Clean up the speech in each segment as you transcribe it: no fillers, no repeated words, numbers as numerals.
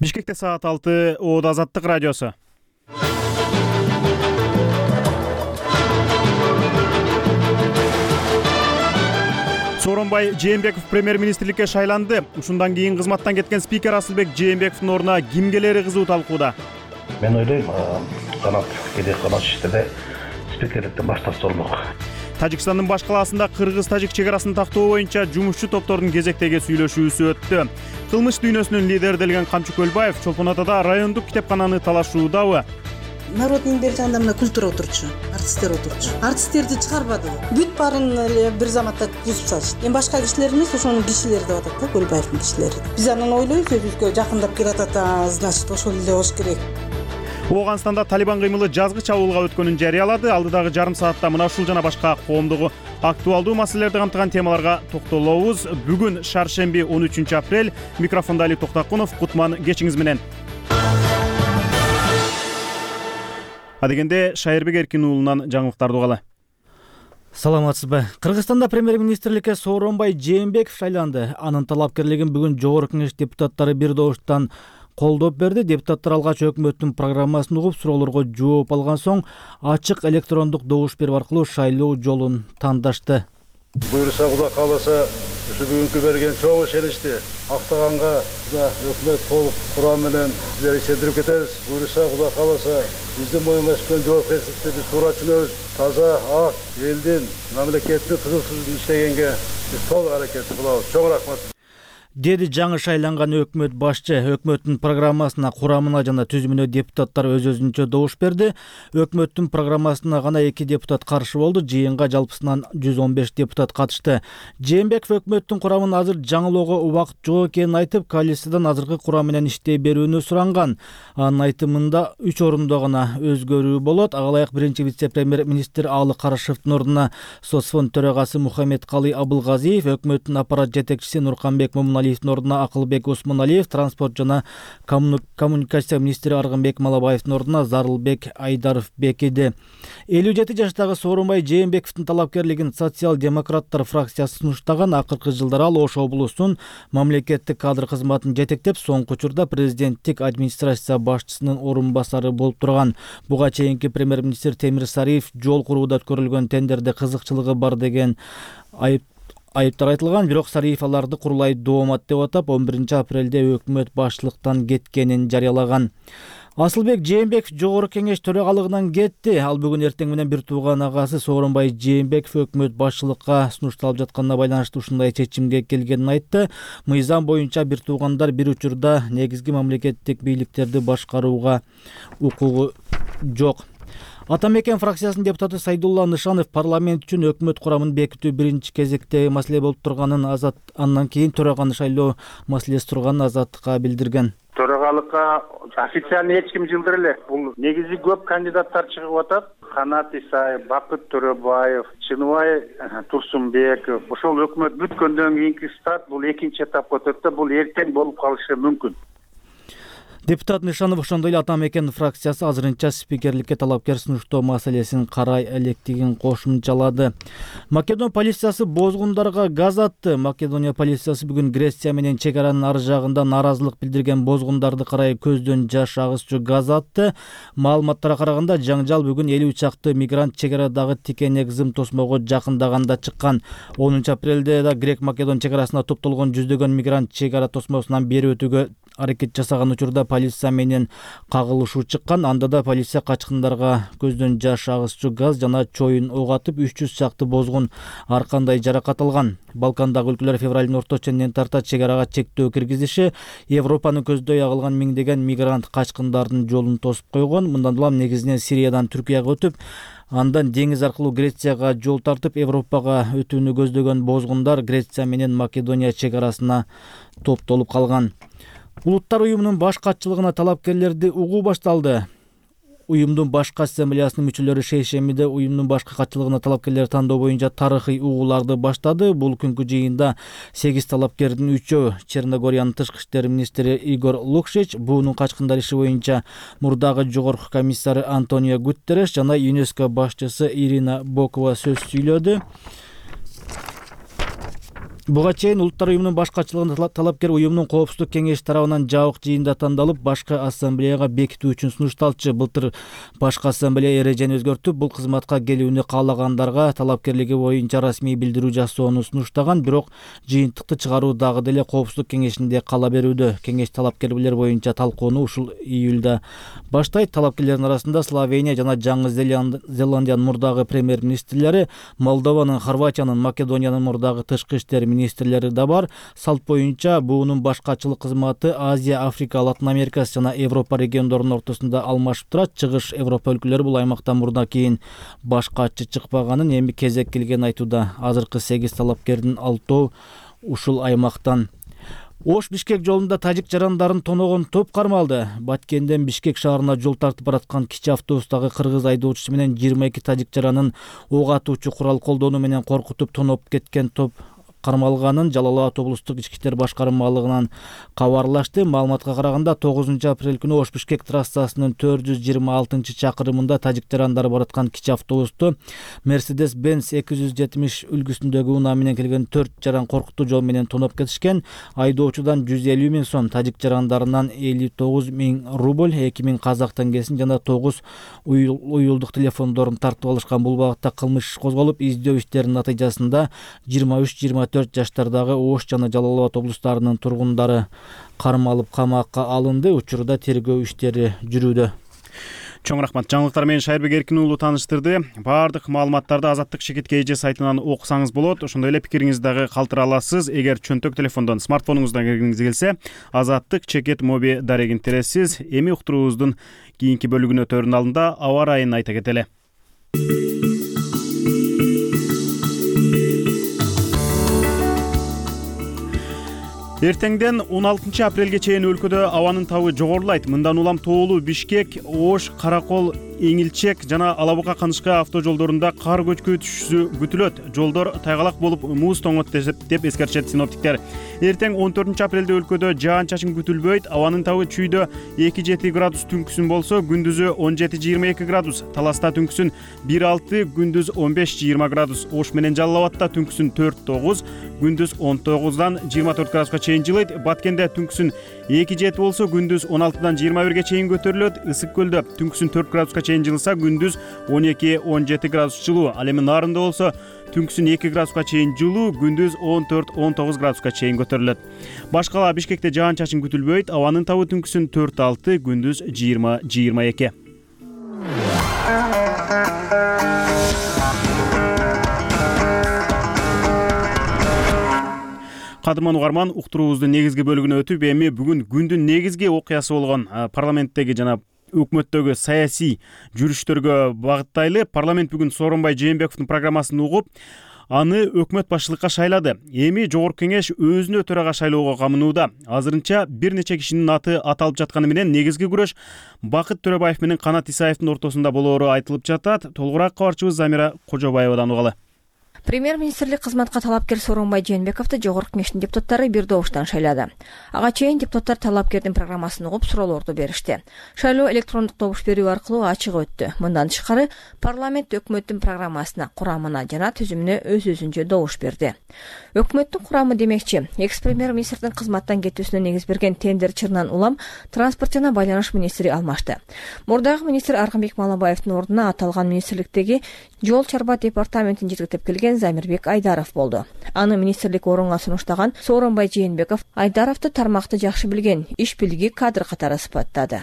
Бишкекте саат 6, Оода Азаттык радиосу. Сооронбай Жээнбеков премьер-министрликке шайланды. Ушундан кийин кызматтан кеткен спикер Асылбек Жээнбековдун ордуна ким келери кызуу талкууда. Мен ойлойм, жанат келе калган иштерде спикерликтен баш тартса болмок. Тажикстандын баш калаасында кыргыз-тажик чек арасын тактоо боюнча жумушчу топтордун кезектеги сүйлөшүүсү өттү. Кылмыш дүйнөсүнүн лидерделген Камчы Көлбаев Чолпон Атада райондук китепкананы талашуудабы? Народдун бери жагында мына культура отурчу, артисттер отурчу. Артисттерди чыгарбады. Бүт баарын эле бир заматта түзүп салышты. Эми башка кишилер эмес, ошонун кишилери деп атат да, Көлбаевдин кишилери. Биз анан ойлойбуз, өзүбүзгө жакындап келатат, значит, ошол эле болуш керек. Ооганстанда Талибан кыймылы жазгы чабуулга өткөнүн жарыялады. Алдыдагы жарым саатта мына ушул жана башка коомдугу актуалдуу маселелерди камтыган темаларга токтолобуз. Бүгүн шаршемби 13 апрель. Микрофондо Али Токтакунов. Кутман кечиңиз менен. Адегенде Шайырбек Эркин уулунан жаңылыктарды угалы. Саламатсызбы. Кыргызстанда премьер-министрликке Сооронбай Жээнбеков шайланды. Анын талапкерлигин бүгүн Жогорку Кеңеш депутаттары бир добуштан колдоп берди. Депутаттар алгач өкмөттүн программасын угуп, суроолорго жооп алган соң ачык электрондук добуш берүү аркылуу шайлоо жолун тандашты. Буюрса, Кудай кааласа, ушу бүгүнкү берген чоң ишеничти актаганга өкмөт толук курам менен силерди ишендирип кетебиз. Буюрса, Кудай кааласа, биздин моюнга түшкөн жоопкерчиликти биз туура түшүнөбүз. Таза, ак, элдин, мамлекеттин кызыксыздыгын иштегенге биз толук аракет кылабыз. Чоң рахмат. Деди жаңы шайланган өкмөт башчы. Өкмөттүн программасына, курамына жана түзүмүнө депутаттар өз-өзүнчө добуш берди. Өкмөттүн программасына гана 2 депутат каршы болду. Жыйынга жалпысынан 115 депутат катышты. Жээнбеков өкмөттүн курамын азыр жаңылоого убакыт жок экенин айтып, коалициядан азыркы курам менен иштей берүүнү суранган. Анын айтымында 3 орунда гана өзгөрүү болот. Ага ылайык биринчи вице-премьер-министр Алы Карашевдин ордуна соцфонд төрагасы Мухаммедкалый Абылгазиев, өкмөттүн аппарат жетекчиси Нурканбек Момуналиевдин ордуна Акылбек Осмоналиев, транспорт жана коммуникация министри Аргынбек Малабаевдин ордуна Зарылбек Айдаров бекиди. 57 жаштагы Сооронбай Жээнбековдун талапкерлигин социал-демократтар фракциясы сунуштаган. Акыркы жылдары ал Ош облусунун мамлекеттик кадр кызматын жетектеп, соңку учурда президенттик администрация башчысынын орун басары болуп турган. Буга чейинки премьер-министр Темир Сариев жол курууда өткөрүлгөн тендерде кызыкчылыгы бар деген айыптар айтылган, бирок Сариев аларды курулай доомат деп атап, 11 апрелде өкмөт башчылыктан кеткенин жарыялаган. Асылбек Жээнбеков Жогорку Кеңеш төрагалыгынан кетти. Ал бүгүн эртең менен бир тууган агасы Сооронбай Жээнбеков өкмөт башчылыкка сунушталып жатканына байланыштуу ушундай чечимге келгенин айтты. Мыйзам боюнча бир туугандар бир учурда негизги мамлекеттик бийликтерди башкарууга укугу жок. Ата Мекен фракциясынын депутаты Сайдулла Нышанов парламент үчүн өкмөт курамын бекитүү биринчи кезектеги маселе болуп турганын, андан кийин төраганы шайлоо маселеси турганын Азаттыкка билдирген. Төрагалыкка официально эч ким жылдыр эле. Бул негизи көп кандидаттар чыгып атат. Канат Исаев, Бакыт Төрөбаев, Чыныбай Турсунбеков. Ошол өкмөт бүткөндөн кийинки старт бул экинчи этапка өтөт, бул эртең болуп калышы мүмкүн. Депутат Нышанов ошондой эле Ата Мекен фракциясы азырынча спикерликке талапкер сунуштоо маселесин карай электигин кошумчалады. Македон полициясы бозгундарга газ атты. Македония полициясы бүгүн Греция менен чек аранын ар жагында нааразылык билдирген бозгундарды карай көздөн жаш агызчу газ атты. Маалыматтарга караганда жаңжал бүгүн 50 чакты мигрант чек арадагы тикенек зым тосмого жакындаганда чыккан. 10 апрелде да Грек-Македон чек арасына топтолгон жүздөгөн мигрант чек ара тосмосунан бери өтүүгө аракет жасаган учурда полиция менен кагылышуу чыккан. Анда да полиция качкындарга көздөн жаш агызчу газ жана чоюн ок атып, 300 чакты бозгун ар кандай жаракат алган. Балкандагы өлкөлөр февралдын орто ченинен тарта чек арага чектөө киргизиши, Европаны көздөй агылган миңдеген мигрант качкындардын жолун тосуп койгон. Мындан улам негизинен Сириядан Түркияга өтүп, андан деңиз аркылуу Грецияга жол тартып, Европага өтүүнү көздөгөн бозгундар Греция менен Македония чек арасына топтолуп калган. Улуттар уюмунун баш катчылыгына талапкерлерди угуу башталды. Уюмдун башкы ассамблеясынын мүчөлөрү шейшембиде уюмдун башкы катчылыгына талапкерлер тандоо боюнча тарыхый угууларды баштады. Бул күнкү жыйында 8 талапкердин 3-өө Черногориянын тышкы иштер министри Игор Лукшич, буунун качкындар иши боюнча мурдагы жогорку комиссары Антонио Гутерреш жана ЮНЕСКО башчысы Ирина Бокова сөз сүйлөдү. Буга чейин Улуттар уюмунун башкачылыгын талапкер уюмдун коопсуздук кеңеши тарабынан жабык жыйында тандалып, башкы ассамблеяга бекитүү үчүн сунушталчу. Былтыр башкы ассамблея эрежени өзгөртүп, бул кызматка келүүнү каалагандарга талапкерлиги боюнча расмий билдирүү жасоону сунуштаган, бирок жыйынтыкты чыгаруу дагы деле коопсуздук кеңешинде кала берүүдө. Кеңеш талапкерлер боюнча талкууну ушул июлда баштайт. Талапкерлердин арасында Словения жана Жаңы Зеландиянын мурдагы премьер-министрлери, Молдованын, Хорватиянын, Македониянын мурдагы тышкы иштер министрлери да бар. Салт боюнча буунун башкачылык кызматы Азия, Африка, Латын Америкасы жана Европа региондорунун ортосунда алмашып турат. Чыгыш Европа өлкөлөрү бул аймактан мурда кийин башкачы чыкпаганын, эми кезек келгенин айтууда. Азыркы 8 талапкердин 6 ушул аймактан. Ош-Бишкек жолунда тажик жарандарын тоногон топ кармалды. Баткенден Бишкек шаарына жол тартып бараткан кичи автобустагы кыргыз айдоочусу менен 22 тажик жаранын ок атуучу курал колдонуу менен коркутуп тоноп кеткен топ кармалганын Жалал Абад облустук ички иштер башкармалыгынан кабарлашты. Маалыматка караганда 9 апрель күнү Ош-Бишкек трассасынын 426-чакырымында тажик жарандары бараткан кичи автобусту Mercedes-Benz 270 үлгүсүндөгү унаа менен келген 4 жаран коркутуу жол менен тоноп кетишкен. Айдоочудан 150 000 сом, тажик жарандарынан 59 000 рубль, 2000 казак теңгесин жана 9 уюлдук телефондорун тартып алышкан. Бул багытта кылмыш иш козголуп, издөө иштеринин натыйжасында 23-24 жаштардагы Ош жана Жалал Абад облустарынын тургундары кармалып камакка алынды. Учурда тергөө иштери жүрүүдө. Чоң рахмат. Жаңылыктар менен Шайырбек Эркин уулу тааныштырды. Баардык маалыматтарды Азаттык Шекет КЖ сайтынан окусаңыз болот. Ошондой эле пикириңизди дагы калтыра аласыз. Эгер чөнтөк телефондон, смартфонуңуздан киргиңиз келсе, Азаттык Шекет моби дарегин тересиз. Эми уктуруубуздун кийинки бөлүгүнө өтөрүнүн алдында аба ырайын айта кетели. Эртеңден 16 апрелге чейин өлкөдө абанын табы жогорулайт. Мындан улам Тоолу, Бишкек, Ош, Каракол, Эңилчек жана Алабука Канышка автожолдорунда кар көчкү күтүлөт. Жолдор тайгалак болуп, муз тоңот деп эскертишет синоптиктер. Эртең 14 апрелде өлкөдө жаан-чачын күтүлбөйт. Абанын табы чүйдө 2-7 градус түнкүсүн болсо, күндүзү 17-22 градус. Таласта түнкүсүн 1-6, күндүз 15-20 градус. Ош менен Жалал Абадта түнкүсүн 4-9, күндүз 19-дан 24 градуска чейин жылыйт. Баткенде түнкүсүн 2-7 болсо, күндүз 16-дан 21-ге чейин көтөрүлөт. Ысык көлдө түнкүсүн 4 градуска чейин жылса, күндүз 12-17 градус жылуу. Ал эми Нарында болсо, түнкүсүн 2 градуска чейин жылуу, күндүз 14-19 градуска чейин көтөрүлөт. Башкала Бишкекте жаан-чачын күтүлбөйт. Абанын табы түнкүсүн 4-6, күндүз 20-22. Кадырман угарман, уктуруубуздун негизги бөлүгүнө өтүп, эми бүгүн күндүн негизги окуясы болгон парламенттеги жана өкмөттөгү саясий жүрүштөргө багыттайлы. Парламент бүгүн Сооронбай Жээнбековдун программасын угуп, аны өкмөт башчылыкка шайлады. Эми Жогорку кеңеш өзүнө төрага шайлоого камынууда. Азырынча бир нече кишинин аты аталып жатканы менен негизги күрөш Бакыт Төрөбаев менен Канат Исаевдин ортосунда болоору айтылып жатат. Толугураак кабарчыбыз Замира Кожобаевадан угалы. Премьер-министрлик кызматка талапкер Сооронбай Жээнбековду Жогорку кеңештин депутаттары бир добуштан шайлады. Ага чейин депутаттар талапкердин программасын угуп, суроолорду беришти. Шайлоо электрондук добуш берүү аркылуу ачык өттү. Мындан тышкары парламент өкмөттүн программасына, курамына жана түзүмүнө өз-өзүнчө добуш берди. Өкмөттүн курамы демекчи, экс-премьер-министрдин кызматтан кетүүсүнө негиз берген тендер чырынан улам транспорт жана байланыш министри алмашты. Мурдагы министр Аркынбек Малабаевдин ордуна аталган министрликтеги жол чарба департаментин жетектеп келген Замирбек Айдаров болду. Аны министрлик орунга сунуштаган Сооронбай Жээнбеков Айдаровду тармакты жакшы билген, иш билги кадр катары сыпаттады.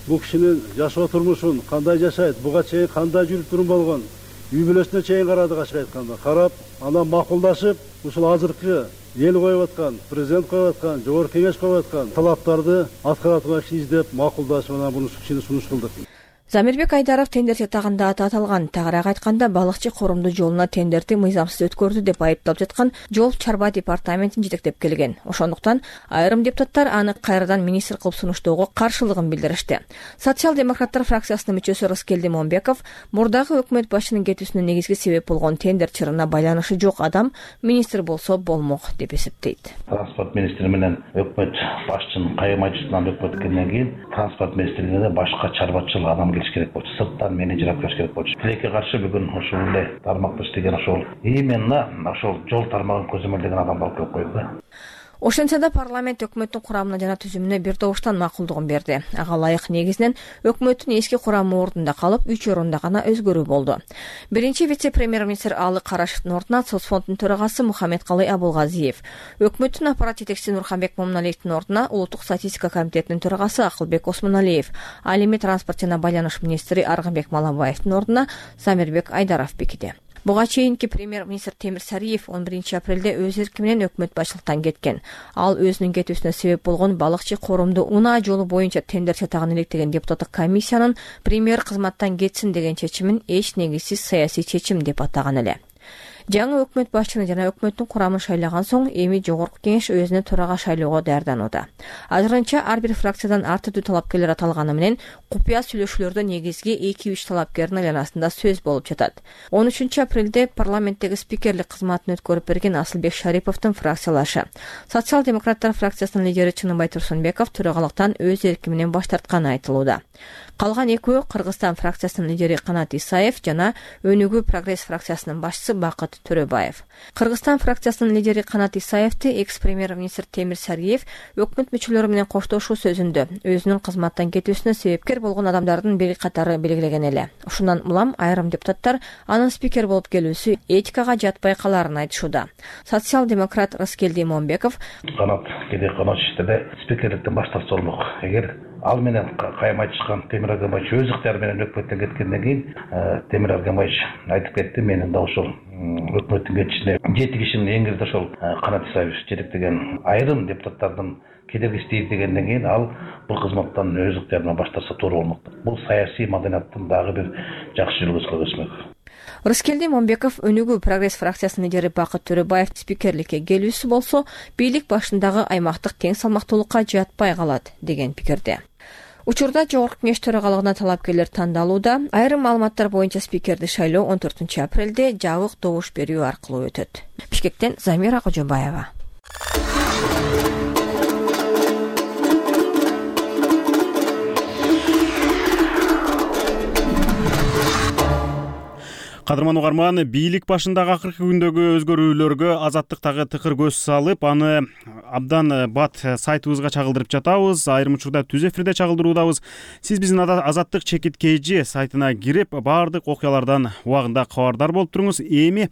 Бул кишинин жашоо турмушун кандай жашайт, буга чейин кандай жүрүп турум болгон, үй бүлөсүнө чейин карадык, ачык айтканда. Карап, анан макулдашып, ушул азыркы эл коюп аткан, президент коюп аткан, Жогорку кеңеш коюп аткан талаптарды аткара турган киши издеп, макулдашып, анан буну кишини сунуш кылдык. Замирбек Айдаров тендер чатагында аты аталган. Тагыраак айтканда, балыкчы корумду жолуна тендерди мыйзамсыз өткөрдү деп айыпталып жаткан жол чарба департаментин жетектеп келген. Ошондуктан айрым депутаттар аны кайрадан министр кылып сунуштоого каршылыгын билдиришти. Социал-демократтар фракциясынын мүчөсү Рыскелди Момбеков мурдагы өкмөт башчынын кетүүсүнө негизги себеп болгон тендер чырына байланышы жок адам министр болсо болмок деп эсептейт. Транспорт министри менен өкмөт башчынын кайым айтышынан өкмөт келгенден кийин транспорт министрлигине башка чарбачыл адам келиш керек болчу, сырттан менеджер алып келиш керек болчу. Тилекке каршы бүгүн ушул эле тармакта иштеген ошол именно ошол жол тармагын көзөмөлдөгөн адамды алып келип койду да. Ошентсе да парламент өкмөттүн курамына жана түзүмүнө бир добуштан макулдугун берди. Ага ылайык негизинен өкмөттүн эски курамы ордунда калып, 3 орунда гана өзгөрүү болду. Биринчи вице-премьер-министр Алы Карашевдин ордуна соцфонддун төрагасы Мухаммедкалый Абулгазиев, өкмөттүн аппарат жетекчиси Нурханбек Момуналиевдин ордуна улуттук статистика комитетинин төрагасы Акылбек Осмоналиев, ал эми транспорт жана байланыш министри Аргынбек Малабаевдин ордуна Замирбек Айдаров бекиди. Буга чейинки премьер-министр Темир Сариев 11 апрелде өз эрки менен өкмөт башчылыктан кеткен. Ал өзүнүн кетүүсүнө себеп болгон балыкчы коромду унаа жолу боюнча тендер чатагын иликтеген депутаттык комиссиянын премьер кызматтан кетсин деген чечимин эч негизсиз саясий чечим деп атаган эле. Жаңы өкмөт башчыны жана өкмөттүн курамын шайлаган соң эми жогорку кеңеш өзүнө төрага шайлоого даярданууда. Азырынча ар бир фракциядан ар түрдүү талапкерлер аталганы менен купуя сүйлөшүүлөрдө негизги 2-3 талапкердин айланасында сөз болуп жатат. 13 апрелде парламенттеги спикерлик кызматын өткөрүп берген Асылбек Шариповдун фракциялашы. Социал-демократтар фракциясынын лидери Чыныбай Турсунбеков төрагалыктан өз эрки менен баш тартканы айтылууда. Калган экөө Кыргызстан фракциясынын лидери Канат Исаев жана Өнүгүү прогресс фракциясынын башчысы Бакыт Төрөбаев. Кыргызстан фракциясынын лидери Канат Исаевди экс-премьер-министр Темир Сариев өкмөт мүчөлөрү менен коштошуу сөзүндө өзүнүн кызматтан кетүүсүнө себепкер болгон адамдардын бир катары белгилеген эле. Ушундан улам айрым депутаттар анын спикер болуп келүүсү этикага жатпай каларын айтышууда. Социал-демократ Рыскелди Момбеков Канат кеде канат иштерде спикерликтен баш тартса болмок. Эгер ал менен кайым айтышкан Темир Аргамбаевич өз ыктыяры менен өкмөттөн кеткенден кийин Темир Аргамбаевич айтып кетти, менин да ошол өкмөттүн кетишине 7 кишинин эң кирде ошол Канат Исаевич жетектеген айрым депутаттардын кедергиштейт дегенден кийин ал бул кызматтан өз ыктыярынан баш тартса туура болмок. Бул саясий маданияттын дагы бир жакшы жүргүзгүлө өсмөк. Рыскелди Момбеков Өнүгүү прогресс фракциясынын лидери Бакыт Төрөбаев спикерликке келүүсү болсо, бийлик башындагы аймактык тең салмактуулукка жатпай калат деген пикирде. Учурда жогорку кеңеш төрагалыгына талапкерлер тандалууда. Айрым маалыматтар боюнча спикерди шайлоо 14 апрелде жабык добуш берүү аркылуу өтөт. Бишкектен Замира Кожобаева. Кадырман угарман, бийлик башындагы акыркы күндөгү өзгөрүүлөргө Азаттыктагы тыкыр көз салып, аны абдан бат сайтыбызга чагылдырып жатабыз. Айрым учурда түз эфирде чагылдыруудабыз. Сиз биздин Азаттык чекит KG сайтына кирип, баардык окуялардан убагында кабардар болуп туруңуз. Эми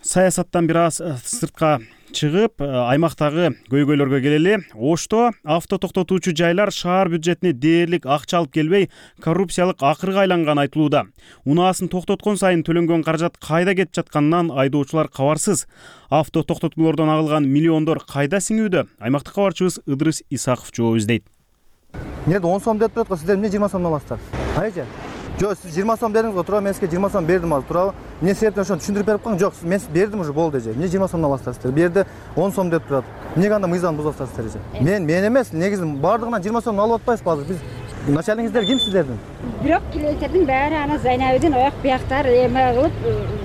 саясаттан бир аз сыртка чыгып, аймактагы көйгөйлөргө келели. Ошто авто токтотуучу жайлар шаар бюджетине дээрлик акча алып келбей, коррупциялык акырга айланганы айтылууда. Унаасын токтоткон сайын төлөнгөн каражат кайда кетип жатканынан айдоочулар кабарсыз. Авто токтотуулордон агылган миллиондор кайда сиңүүдө? Аймактык кабарчыбыз Ыдрыс Исаков жооп издейт. Эмне 10 сом деп турат го, сиздер эмне 20 сомдон аласыздар? Айча. Жок, сиз 20 сом бердиңиз го, туура, мен сизге 20 сом бердим азыр, туурабы? Эмне себептен ошону түшүндүрүп берип коюң? Жок, мен бердим уже, болду эже. Эмне 20 сомдон аласыздар сиздер? Берди 10 сом деп турат. Эмнеге анда мыйзамды бузасыздар сиздер эже? Мен эмес, негизи бардыгынан 20 сомдон алып атпайсызбы азыр? Биз начальниктер ким сиздердин? Бирок клиенттердин баары ана Зайнабидин аяк бияктары эме кылып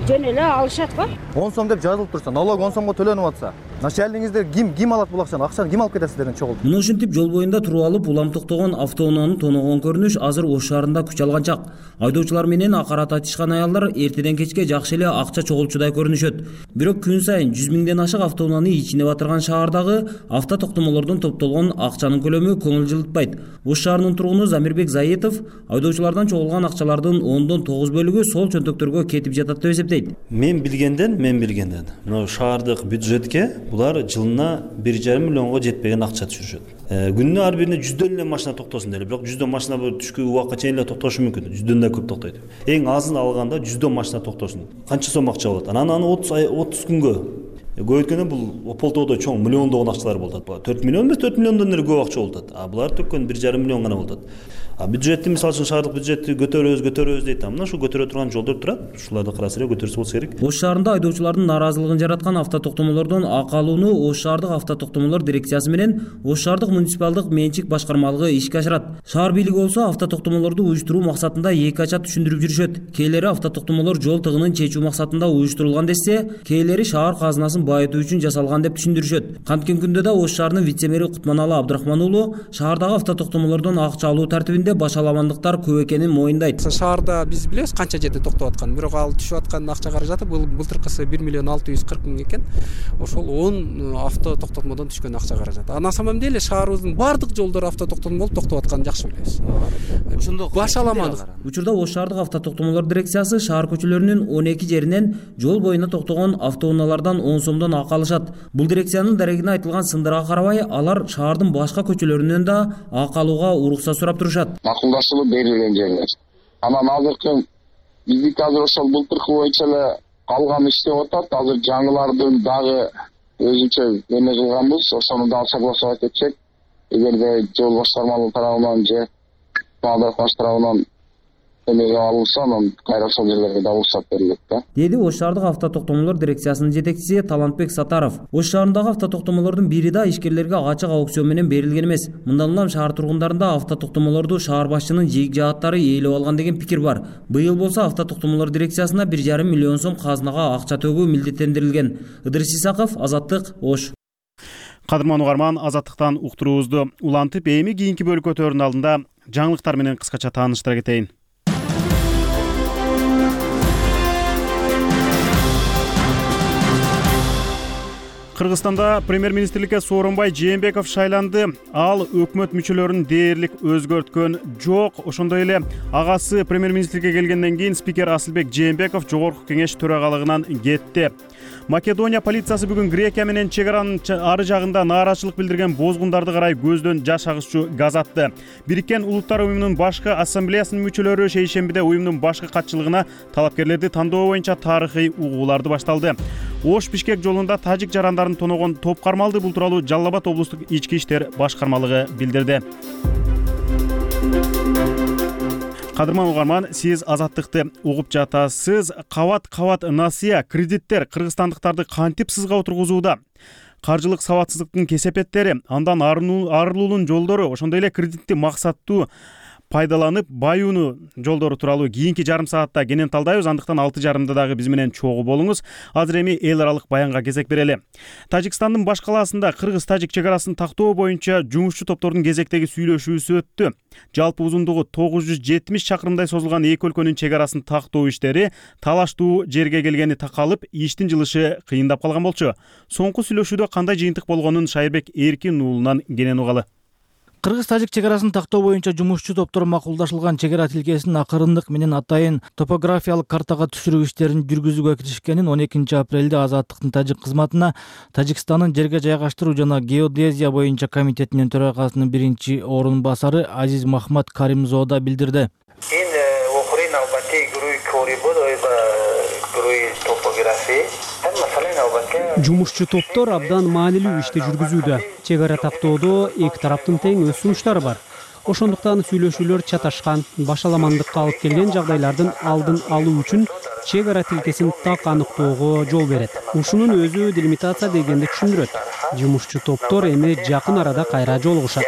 жөн эле алышат го. 10 сом деп жазылып турса, налог 10 сомго төлөнүп атса, начальниктер ким алат бул акчаны? Акчаны ким алып кетет сиздердин чогултуп? Мына ушинтип жол боюнда туруп алып улам токтогон автоунааны тоногон көрүнүш азыр Ош шаарында күч алган чак. Айдоочулар менен акарат айтышкан аялдар эртеден кечке жакшы эле акча чогулчудай көрүнүшөт. Бирок күн сайын 100 миңден ашык автоунааны ичине батырган шаардагы авто токтомолордон топтолгон акчанын көлөмү көңүл жылытпайт. Ош шаарынын тургуну Замирбек Заитов айдоочулардан чогулган акчалардын 10-9 бөлүгү сол чөнтөктөргө кетип жатат деп эсептейт. Мен билгенден мына шаардык бюджетке булар жылына 1,5 миллионго жетпеген акча түшүрүшөт. Күнүнө ар бирине 100дөн эле машина токтосун деле, бирок 100дөн машина түшкү убакка чейин эле токтошу мүмкүн. 100дөн да көп токтойт. Эң азын алганда 100дөн машина токтосун. Канча сом акча болот? Анан аны 30 күнгө көбөйткөндө бул Ополтоодо чоң миллиондогон акчалар болот. 4 миллион эмес, 4 миллиондон эле көп акча болот. Булар төккөн 1,5 миллион гана болот. Бюджетти мисалы үчүн шаардык бюджетти көтөрөбүз дейт. Мына ушул көтөрө турган жолдор турат. Ушуларды караса эле көтөрсө болсо керек. Ош шаарында айдоочулардын нааразылыгын жараткан авто токтомолордон ак алууну Ош шаардык авто токтомолор дирекциясы менен Ош шаардык муниципалдык менчик башкармалыгы ишке ашырат. Шаар бийлиги болсо авто токтомолорду уюштуруу максатында эки ача түшүндүрүп жүрүшөт. Кээлери авто токтомолор жол тыгынын чечүү максатында уюштурулган десе, кээлери шаар казынасын уулун байытуу үчүн жасалган деп түшүндүрүшөт. Канткен күндө да Ош шаарынын вице-мэри Кутманалы Абдрахман уулу шаардагы автотоктомолордон акча алуу тартибинде башаламандыктар көп экенин моюндайт. Шаарда биз билебиз канча жерде токтоп атканын, бирок ал түшүп аткан акча каражаты былтыркысы 1 миллион 640 миң экен. Ошол 10 авто токтотмодон түшкөн акча каражаты. На самом деле шаарыбыздын бардык жолдору автотоктотмо болуп токтоп атканын жакшы билебиз. Ошондо башаламандык. Учурда Ош шаардык автотоктомолор дирекциясы шаар көчөлөрүнүн 12 жеринен жол боюна токтогон автоунаалардан 10 сомдон акы алышат. Бул дирекциянын дарегине айтылган сындырга карабай, алар шаардын башка көчөлөрүнөн да акы алууга уруксат сурап турушат. Макулдашылып берилген жерлер. Анан азыркы биздики азыр ошол былтыркы боюнча эле калган иштеп атат. Азыр жаңылардын дагы өзүнчө эме кылганбыз, ошону дагы согласовать этсек, эгерде жол башкармалыгы тарабынан же Абдрахман тарабынан эмеге алынса, анан кайра ошол жерлерге да уруксат берилет да. Деди Ош шаардык автотоктомолор дирекциясынын жетекчиси Талантбек Сатаров. Ош шаарындагы автотоктомолордун бири да ишкерлерге ачык аукцион менен берилген эмес. Мындан улам шаар тургундарында автотоктомолорду шаар башчынын жийик жааттары ээлеп алган деген пикир бар. Быйыл болсо автотоктомолор дирекциясына 1,5 миллион сом казынага акча төгүү милдеттендирилген. Ыдырыс Исаков, Азаттык, Ош. Кадырман угарман, Азаттыктан уктуруубузду улантып, эми кийинки бөлкөтөрдүн алдында жаңылыктар менен кыскача тааныштыра кетейин. Кыргызстанда премьер-министрликке Сооронбай Жээнбеков шайланды. Ал өкмөт мүчөлөрүн дээрлик өзгөрткөн жок. Ошондой эле агасы премьер-министрикке келгенден кийин спикер Асылбек Жээнбеков жогорку кеңеш төрагалыгынан кетти. Македония полициясы бүгүн Грекия менен чек аранын ары жагында нааразычылык билдирген бозгундарды карай көздөн жаш агызчу газ атты. Бириккен Улуттар уюмунун башкы ассамблеясынын мүчөлөрү шейшембиде уюмдун башкы катчылыгына талапкерлерди тандоо боюнча тарыхый угууларды башталды. Ош Бишкек жолунда тажик жарандарын тоногон топ кармалды. Бул тууралуу Жалал Абад облустук ички иштер башкармалыгы билдирди. Кадырман угарман, сиз Азаттыкты угуп жатасыз. Кабат насыя кредиттер кыргызстандыктарды кантип сызга отургузууда? Каржылык сабатсыздыктын кесепеттери, андан арылуунун жолдору, ошондой эле кредитти максаттуу пайдаланып баюунуу жолдору тууралуу кийинки жарым саатта кенен талдайбыз. Андыктан 6:30 дагы биз менен чогуу болуңуз. Азыр эми эл аралык баянга кезек берели. Тажикстандын баш калаасында кыргыз-тажик чек арасын тактоо боюнча жумушчу топтордун кезектеги сүйлөшүүсү өттү. Жалпы узундугу 970 чакырымдай созулган эки өлкөнүн чек арасын тактоо иштери талаштуу жерге келгени такалып, иштин жылышы кыйындап калган болчу. Соңку сүйлөшүүдө кандай жыйынтык болгонун Шайырбек Эркин уулунан кенен угалы. Кыргыз-тажик чек арасын тактоо боюнча жумушчу топтор макулдашылган чек ара тилкесин акырындык менен атайын топографиялык картага түшүрүү иштерин жүргүзүүгө киришкенин 12 апрелде Азаттыктын тажик кызматына Тажикстандын жерге жайгаштыруу жана геодезия боюнча комитетинин төрагасынын биринчи орун басары Азиз Махмат Каримзода билдирди. Жумушчу топтор абдан маанилүү ишти жүргүзүүдө. Чек ара тактоодо эки тараптын тең өз сунуштары бар. Ошондуктан сүйлөшүүлөр чаташкан, башаламандыкка алып келген жагдайлардын алдын алуу үчүн чек ара тилкесин так аныктоого жол берет. Ушунун өзү делимитация дегенди түшүндүрөт. Жумушчу топтор эми жакын арада кайра жолугушат.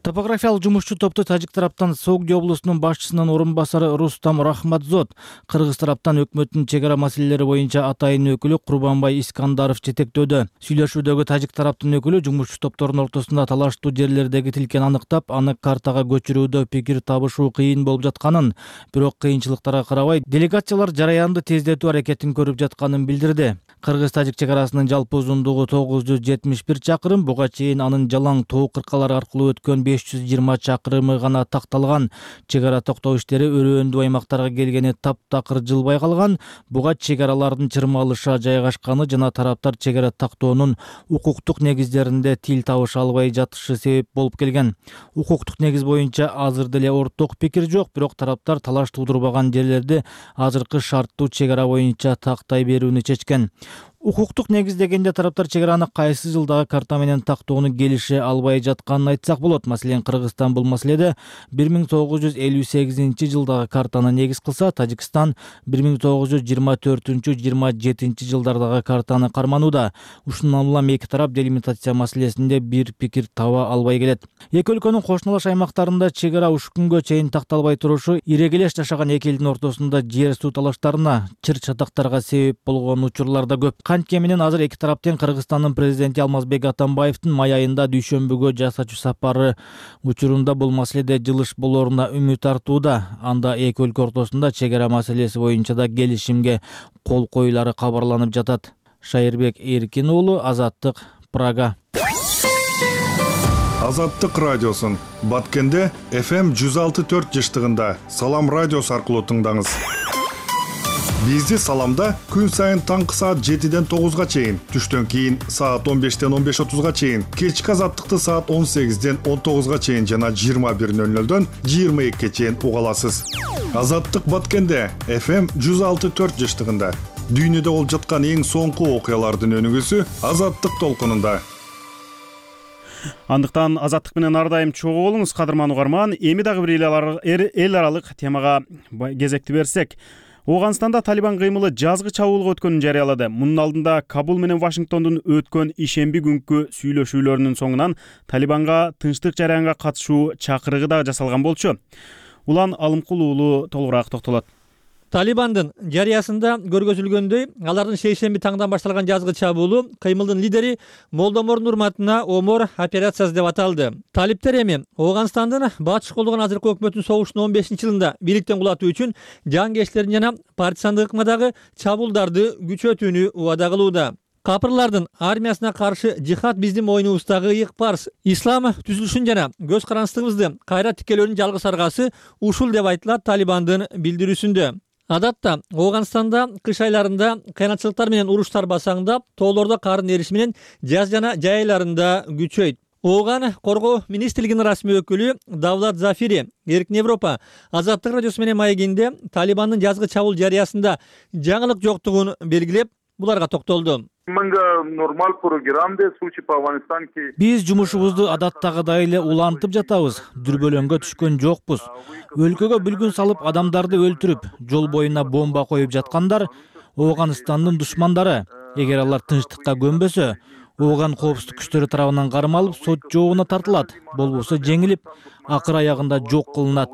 Топографиялык жумушчу топту тажик тараптан Согди облусунун башчысынын орун басары Рустам Рахматзод, кыргыз тараптан өкмөттүн чек ара маселелери боюнча атайын өкүлү Курбанбай Искандаров жетектөөдө. Сүйлөшүүдөгү тажик тараптын өкүлү жумушчу топтордун ортосунда талаштуу жерлердеги тилкени аныктап, аны картага көчүрүүдө пикир табышуу кыйын болуп жатканын, бирок кыйынчылыктарга карабай делегациялар жараянды тездетүү аракетин көрүп жатканын билдирди. Кыргыз-тажик чек арасынын жалпы узундугу 971 чакырым, буга чейин анын жалаң тоо кыркалар аркылуу өткөн 520 чакырымы гана такталган. Чек ара токтоо иштери өрөөндүү аймактарга келгени таптакыр жылбай калган. Буга чек аралардын чырмалыша жайгашканы жана тараптар чек ара тактоонун укуктук негиздеринде тил табыша албай жатышы себеп болуп келген. Укуктук негиз боюнча азыр деле орток пикир жок, бирок тараптар талаш туудурбаган жерлерди азыркы шарттуу чек ара боюнча тактай берүүнү чечкен. Укуктук негиздегенде тараптар чек араны кайсы жылдагы карта менен тактоону келише албай жатканын айтсак болот. Маселен, Кыргызстан бул маселеде 1928 жылдагы картаны негиз кылса, Тажикстан 1924-27 жылдардагы картаны карманууда. Ушундан улам эки тарап делимитация маселесинде бир пикир таба албай келет. Эки өлкөнүн кошуналаш аймактарында чек ара ушул күнгө чейин такталбай турушу ирегелеш жашаган эки элдин ортосунда жер суу талаштарына, чыр-чатактарга себеп болгон учурлар да көп. Канткени менен азыр эки тараптын Кыргызстандын президенти Алмазбек Атамбаевдин май айында дүйшөмбүгө жасачу сапары учурунда бул маселеде жылыш болоруна үмүт артууда. Анда эки өлкө ортосунда чек ара маселеси боюнча да келишимге кол коюлары кабарланып жатат. Шайырбек Эркин уулу, Азаттык, Прага. Азаттык радиосун Баткенде FM 106.4 жыштыгында Салам радиосу аркылуу тыңдаңыз. Бизди Саламда күн сайын таңкы саат 7-ден 9-га чейин, түштөн кийин саат 15-ден 15:30-га чейин, кечки Азаттыкты саат 18-ден 19-га чейин жана 21:00-дөн 22-ге чейин уга аласыз. Азаттык Баткенде FM 106.4 жыштыгында дүйнөдө болуп жаткан эң соңку окуялардын өнүгүүсү Азаттык толкунунда. Андыктан Азаттык менен ар дайым чогуу болуңуз, кадырман угарман. Эми дагы бир эл аралык темага кезекти берсек, Ооганстанда Талибан кыймылы жазгы чабуулга өткөнүн жарыялады. Мунун алдында Кабул менен Вашингтондун өткөн ишемби күнкү сүйлөшүүлөрүнүн соңунан Талибанга тынчтык жараянга катышуу чакырыгы да жасалган болчу. Улан Алымкул уулу толугураак токтолот. Талибандын жарыясында көргөзүлгөндөй, алардын шейшемби таңдан башталган жазгы чабуулу кыймылдын лидери Молдомордун урматына Омор операциясы деп аталды. Талиптер эми Ооганстандын батыш колдогон азыркы өкмөтүн согуштун 15-жылында бийликтен кулатуу үчүн жангерчилердин жана партизандык ыкмадагы чабуулдарды күчөтүүнү убада кылууда. Капырлардын армиясына каршы жихад биздин мойнубуздагы ыйык парз. Ислам түзүлүшүн жана көз карандысыбызды кайра тикелөөнүн жалгыз аргасы ушул деп айтылат Талибандын билдирүүсүндө. Адатта Ооганстанда кыш айларында кыянатчылыктар менен уруштар басаңдап, тоолордо кардын эриши менен жаз жана жай айларында күчөйт. Ооган коргоо министрлигинин расмий өкүлү Давлат Зафири Эркин Европа Азаттык радиосу менен маегинде Талибандын жазгы чабуул жарыясында жаңылык жоктугун белгилеп, буларга токтолду. Биз жумушубузду адаттагыдай эле улантып жатабыз. Дүрбөлөңгө түшкөн жокпуз. Өлкөгө бүлгүн салып, адамдарды өлтүрүп, жол боюна бомба коюп жаткандар Ооганстандын душмандары. Эгер алар тынчтыкка көнбөсө, Ооган коопсуздук күчтөрү тарабынан кармалып, сот жообуна тартылат. Болбосо жеңилип, акыр аягында жок кылынат.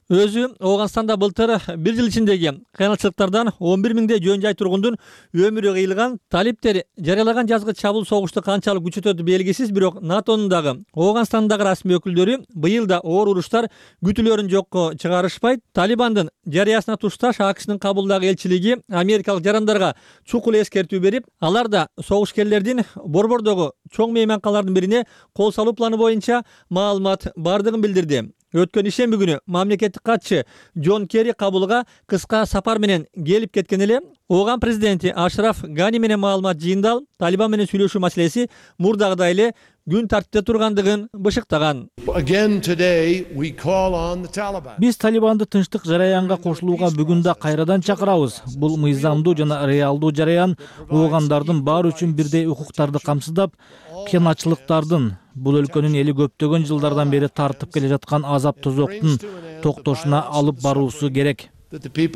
Өзү Ооганстанда былтыр бир жыл ичиндеги кыянатчылыктардан 11 миңдей жөн жай тургундун өмүрү кыйылган. Талиптер жарыялаган жазгы чабуул согушту канчалык күчөтөтү белгисиз, бирок НАТОнун дагы Ооганстандагы расмий өкүлдөрү быйыл да оор уруштар күтүлөрүн жокко чыгарышпайт. Талибандын жарыясына тушташ АКШнын Кабулдагы элчилиги америкалык жарандарга чукул эскертүү берип, алар да согушкерлердин Борбордогу чоң мейманканалардын бирине кол салуу планы боюнча маалымат бардыгын билдирди. Өткөн ишемби күнү мамлекеттик катчы Джон Керри Кабулга кыска сапар менен келип кеткен эле. Ооган президенти Ашраф Гани менен маалымат жыйындал Талибан менен сүйлөшүү маселеси мурдагыдай эле күн тартипте тургандыгын бышыктаган. Биз Талибанды тынчтык жараянга кошулууга бүгүн да кайрадан чакырабыз. Бул мыйзамдуу жана реалдуу жараян Оогандардын баары үчүн бирдей укуктарды камсыздап, кыянатчылыктардын, бул өлкөнүн эли көптөгөн жылдардан бери тартып келе жаткан азап тозоктун токтошуна алып баруусу керек. Деген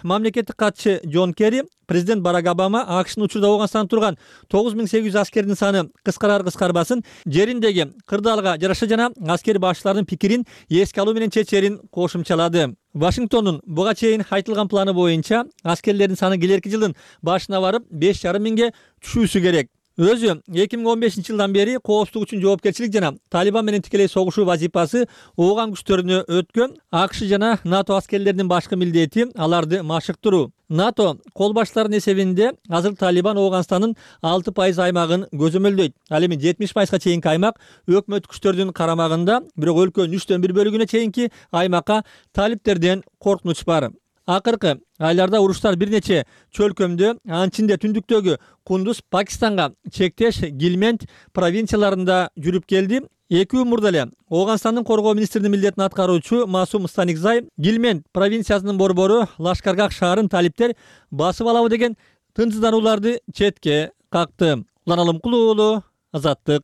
мамлекеттик катчы Джон Керри, президент Барак Обама АКШнын учурда Ооганстанда турган 9800 аскердин саны кыскарар-кыскарбасын жериндеги кырдаалга жараша жана аскер башчылардын пикирин эске алуу менен чечерин кошумчалады. Вашингтондун буга чейин айтылган планы боюнча аскерлердин саны келерки жылдын башына барып 5,5 миңге түшүүсү керек. Өзү 2015 жылдан бери коопсуздук үчүн жоопкерчилик жана Талибан менен тикелей согушуу вазифасы Ооган күчтөрүнө өткөн. АКШ жана НАТО аскерлеринин башкы милдети аларды машыктыруу. НАТО кол баштарынын эсебинде азыр Талибан Ооганстандын 6% аймагын көзөмөлдөйт. Ал эми 70%га чейинки аймак өкмөт күчтөрүнүн карамагында, бирок өлкөнүн 3/4 бөлүгүнө чейинки аймакка талиптерден коркунуч бар. Акыркы айларда уруштар бир нече чөлкөмдө, анын ичинде түндүктөгү Кундуз, Пакистанга чектеш Гилмент провинцияларында жүрүп келди. 2 күн мурда эле Ооганстандын коргоо министринин милдетин аткаруучу Масум Станикзай Гилмент провинциясынын борбору Лашкаргах шаарын талиптер басып алабы деген тынчсызданууларды четке какты. Улан Алымкулуу уулу, Азаттык.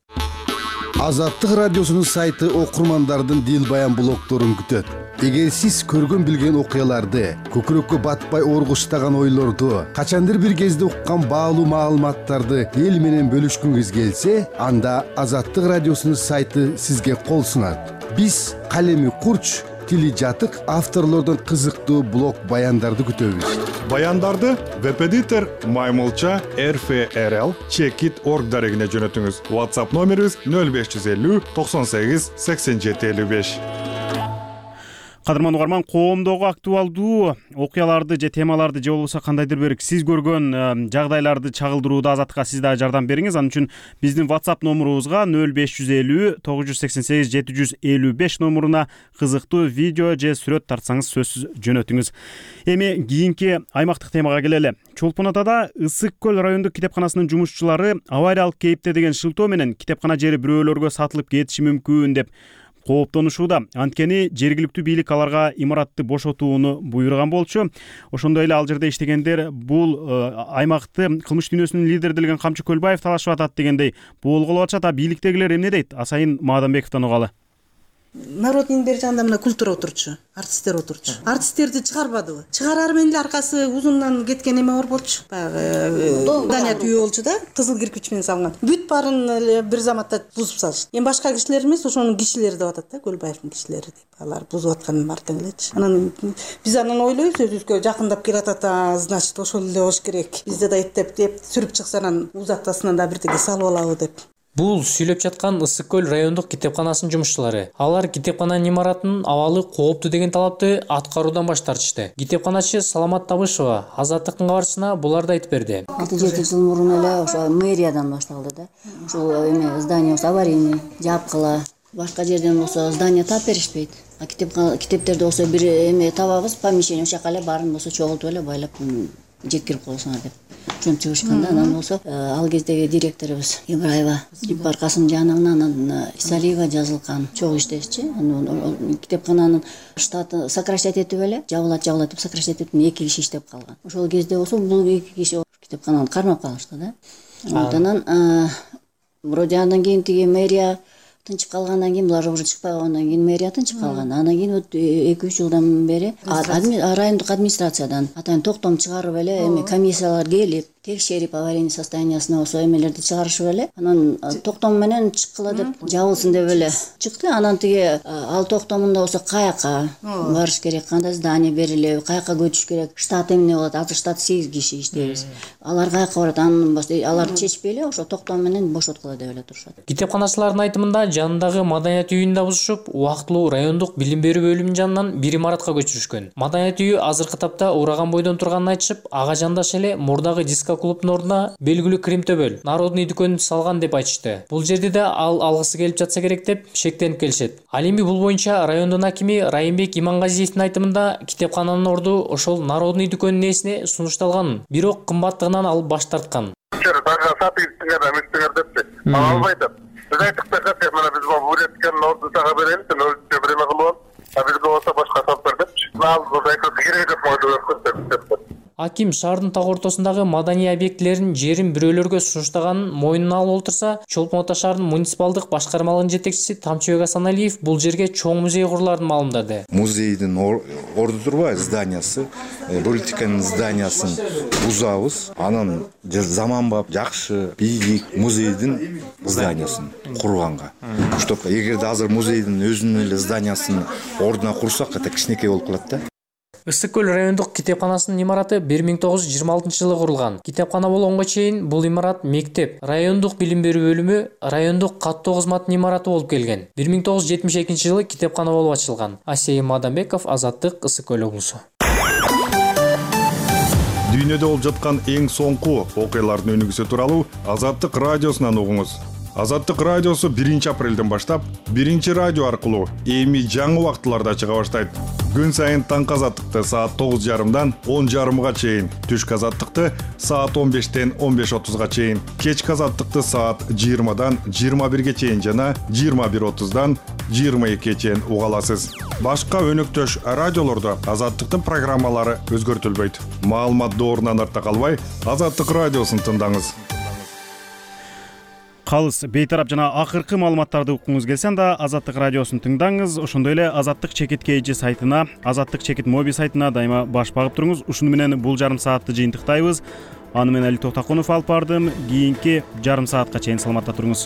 Азаттык радиосунун сайты окурмандардын дил баян блогдорун күтөт. Эгер сиз көргөн билген окуяларды, көкүрөккө батпай оргуштаган ойлорду, качандыр бир кезде уккан баалуу маалыматтарды эл менен бөлүшкүңүз келсе, анда Азаттык радиосунун сайты сизге кол сунат. Биз калеми курч, тили жатык авторлордон кызыктуу блог баяндарды күтөбүз. Баяндарды веб-эдитор Маймылча RFRL Checkit.org дарегине жөнөтүңүз. WhatsApp номерибиз 0550 98 87 55. Кадырман угарман, коомдогу актуалдуу окуяларды же темаларды же болбосо кандайдыр бир сиз көргөн жагдайларды чагылдырууда Азаттыкка сиз да жардам бериңиз. Анын үчүн биздин WhatsApp номурубузга 0550 988 755 номуруна кызыктуу видео же сүрөт тартсаңыз сөзсүз жөнөтүңүз. Эми кийинки аймактык темага келели. Чолпон Атада Ысык көл райондук китепканасынын жумушчулары авариялык кейипте деген шылтоо менен китепкана жери бирөөлөргө сатылып кетиши мүмкүн деп кооптонушууда. Анткени жергиликтүү бийлик аларга имаратты бошотууну буйруган болчу. Ошондой эле ал жерде иштегендер бул аймакты кылмыш дүйнөсүнүн лидери делген Камчы Көлбаев талашып атат дегендей болгулап атышат. А бийликтегилер эмне дейт? Асайын Маадамбековдон угалы. Народный бери жагында мына культура отурчу, артисттер отурчу. Артисттерди чыгарбадыбы? Чыгарар менен эле аркасы узундан кеткен эме бар болчу. Баягы здание түйө болчу да, кызыл кирпич менен салган. Бүт баарын эле бир заматта бузуп салышты. Эми башка кишилер эмес, ошонун кишилери деп атат да, Көлбаевдин кишилери деп. Алар бузуп атканын артын элечи. Анан биз анан ойлойбуз, өзүбүзгө жакындап келатат, значит ошол эле болуш керек. Бизде да эттеп сүрүп чыкса анан узаттасынан да бирдеке салып алабы деп. Бул сүйлөп жаткан Ысык көл райондук китепканасынын жумушчулары. Алар китепкананын имаратынын абалы кооптуу деген талапты аткаруудан баш тартышты. Китепканачы Саламат Табышева Азаттыктын кабарчысына буларды айтып берди. 6-7 жыл мурун эле ошо мэриядан башталды да. Ушул эме здание аварийный, жапкыла. Башка жерден болсо здание тап беришпейт. А китептерди болсо бир эме табабыз, помещение ошол жака эле баарын болсо чогултуп эле байлап жеткирип коесуңар деп. Ошентип чыгышканда анан болсо ал кездеги директорубуз Ибраева Жиппар Касымжановна, анан Исалиева жазылган чогуу иштешчи. Китепкананын штаты сокращать этип эле жабылат деп сокращать этип 2 киши иштеп калган. Ошол кезде болсо бул 2 киши китепкананы кармап калышты да. Анан вроде андан кийин тиги мэрия тынчып калгандан кийин, булар уже чыкпай калгандан кийин мэрия тынчып калган. Анан кийин 2-3 жылдан бери райондук администрациядан атайын токтом чыгарып эле эми комиссиялар келип текшерип аварийный состояниясына болсо эмелерди чыгарышып эле анан токтом менен чыккыла деп жабылсын деп эле чыкты. Анан тиги ал токтомунда болсо каяка барыш керек, кандай здание берилеби, каяка көчүш керек, штат эмне болот, азыр штат 8 киши иштейбиз. Алар каяка барат, анын алар чечпей эле ошо токтом менен бошоткула деп эле турушат. Китепканачылардын айтымында жанындагы маданият үйүн да бузушуп, убактылуу райондук билим берүү бөлүмүнүн жанынан бир имаратка көчүрүшкөн. Маданият үйү азыркы тапта ураган бойдон турганын айтышып, ага жандаш эле мурдагы диско клубдун ордуна белгилүү Кримтөбөл Народный дүкөнүн салган деп айтышты. Бул жерде да ал алгысы келип жатса керек деп шектенип келишет. Ал эми бул боюнча райондун акими Райымбек Имангазиевдин айтымында китепкананын орду ошол Народный дүкөнүнүн ээсине сунушталган, бирок кымбаттыгынан ал баш тарткан. Албайт. Biz aytık da kaç mana biz bu üretken ordu tağa bereli, ölçü birime kılıyor. Biz de olsa başka saplar demiş. Nal bu da gerek yok modu. Аким шаардын так ортосундагы маданий объектилеринин жерин бирөөлөргө сунуштаганын мойнуна алып олтурса, Чолпон Ата шаарынын муниципалдык башкармалыгынын жетекчиси Тамчыбек Асаналиев бул жерге чоң музей куруларын маалымдады. Музейдин орду турбайбы зданиясы, политиканын зданиясын бузабыз, анан заманбап жакшы бийлик музейдин зданиясын курганга. Чтоб эгерде азыр музейдин өзүнүн эле зданиясын ордуна курсак, это кичинекей болуп калат да. Ысык көл райондук китепканасынын имараты 1926 жылы курулган. Китепкана болгонго чейин бул имарат мектеп, райондук билим берүү бөлүмү, райондук каттоо кызматынын имараты болуп келген. 1972 жылы китепкана болуп ачылган. Асейин Мадамбеков, Азаттык, Ысык көл облусу. Дүйнөдө болуп жаткан эң соңку окуялардын өнүгүүсү тууралуу Азаттык радиосунан угуңуз. Азаттык радиосу 1 апрелден баштап 1 радио аркылуу эми жаңы убактыларда чыга баштайт. Күн сайын таңкы азаттыкты саат 9:30дан 10:30га чейин, түшкү азаттыкты саат 15-тен 15:30га чейин, кечки азаттыкты саат 20-дан 21-ге чейин жана 21:30-дан 22-ге чейин уга аласыз. Башка өнөктөш радиолордо азаттыктын программалары өзгөртүлбөйт. Маалымат доорунан арта калбай, Азаттык радиосун тыңдаңыз. Калыс бейтарап жана акыркы маалыматтарды уккуңуз келсе анда Азаттык радиосун тыңдаңыз. Ошондой эле Азаттык чекит KG сайтына, Азаттык чекит моби сайтына дайыма баш багып туруңуз. Ушуну менен бул жарым саатты жыйынтыктайбыз. Аны мен Али Токтокунов алып бардым. Кийинки жарым саатка чейин саламатта туруңуз.